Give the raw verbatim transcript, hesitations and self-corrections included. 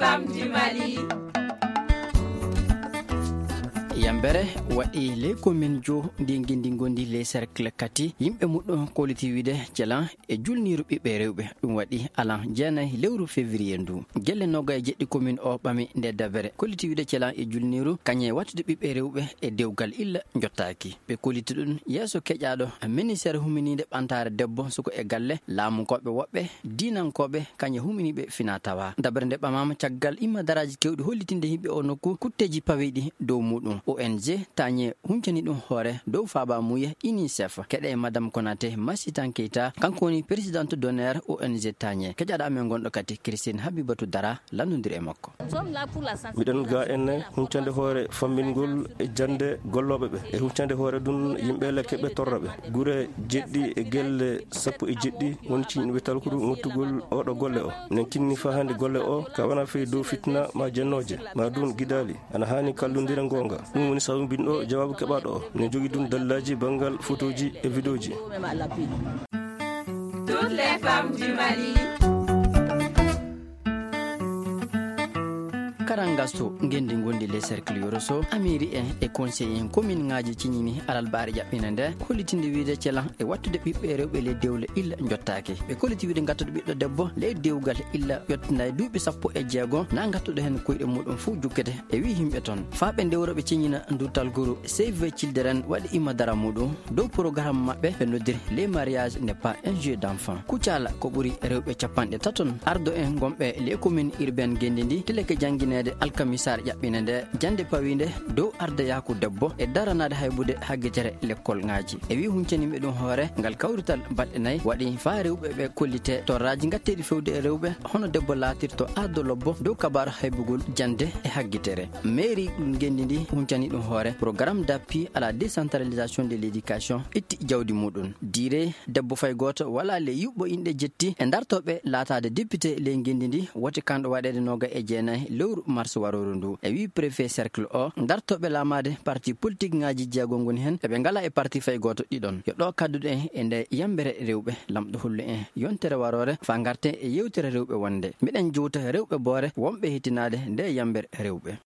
Femmes du Mali. Yambere waɗi ley commune jo ndi ngendi ngondi ley cercle kati, yimɓe muɗɗum kolliti wiide celan e julniiru ɓiɓɓe rewɓe. Ɗum waɗi alan jeenayi lewru février ndu. Gelle noga e jeɗɗi commune o ɓami nde dabere. Kolliti wiide celan e julniiru kañe wattude ɓiɓɓe rewɓe e dewgal illa jottaaki. Ɓe kolliti ɗum yeeso keƴaaɗo ministère huminiinde ɓantaare debbo, suko e galle, laamunkooɓe woɓɓe, diinankooɓe, kañe huminiiɓe fina tawa. Dabere nde ɓamaama caggal imma daraaji kewɗi hollitinde yimɓe o nokku kutteeji pawiiɗi dow muɗum. O N G Tañe huncani ɗum hoore dow faaba muuya UNICEF. Keɗe e Madame Konate Masitan Keita, kanko woni présidente d'honneur O N G Tañe. Keƴaaɗo amen gonɗo kadi Christine Habibatu Dara, lanndondiri e makko. Miɗen ga enne huncande hoore famminngol e jannde gollooɓe ɓe, e huncande hoore ɗum yimɓe lekke ɓe torra ɓe. Gure jeɗɗi e gelle sappo e jeɗɗi woni ciñɗuɓe talkuru mottugol oɗo golle o. Nen tinni fa hannde golle o ka wona fey dow fitna ma jennooje, ma ɗum gidaali. Ana haani kallondira goonga. Ɗum woni sabu mbinɗo jawaabu keɓaaɗo o. Ne jogi ɗum dallaaji banngal fotooji e vidéoji. Toutes les femmes du Mali. Karangaso ngendi ngondi les cercles yoroso, amiri en e conseil en commune ngaji ciñini alalbaare ƴaɓɓina nde, hollitinde wiide celan e wattude ɓiɓɓe rewɓe ley dewle illa jottaaki. Ɓe kolliti wiide ngattude ɓiɗɗo debbo ley dewgal illa ƴottinayi duuɓi sappo e jeego, na ngattuɗo heen koyɗe muɗum fof jukkete e wi yimɓe toon. Faa ɓe ndewro ɓe ciñina ndu talguru Save Children waɗi imma dara muɗum dow programme maɓɓe ɓe noddiri les mariages n'est pas un jeu d'enfant. Kucala ko ɓuri rewɓe capanɗe taton ardo en gonɓe les communes urbaines ngendi ndi tileke janngineede alkamisaare ƴaɓɓine nde jannde pawiinde dow ardayaaku debbo e daranaade haybude haggitere lekkol ŋaaji. E wi huncaniiɓe ɗum hoore, ngal kawrital baɗɗe nayi waɗi faa rewɓe ɓe kollite torraaji ngatteeɗi fewde e rewɓe, hono debbo laatirto ardo lobbo dow kabaaru haybugol jannde e haggitere. Mairie ngendi ndi huncani ɗum hoore, programme d'appui à la décentralisation de l'éducation itti jawdi muɗum. Diire debbo fay gooto wala ley yuɓɓo inɗe jetti e dartooɓe laataade député ley ngendi ndi, woti kanɗo waɗeede noga e jeenayi lewru mars warooru ndu. E wi préfet cercle o, dartooɓe laamaade parti politique ŋaaji jeego ngoni heen, eɓe ngala e parti fay gooto ɗiɗon. Yo ɗo kadduɗen e nde yambere rewɓe, lamɗo hollu en yontere waroore faa ngarten e yewtere rewɓe wonde. Miɗen jowta rewɓe boore wonɓe hetinaade nde yambere rewɓe.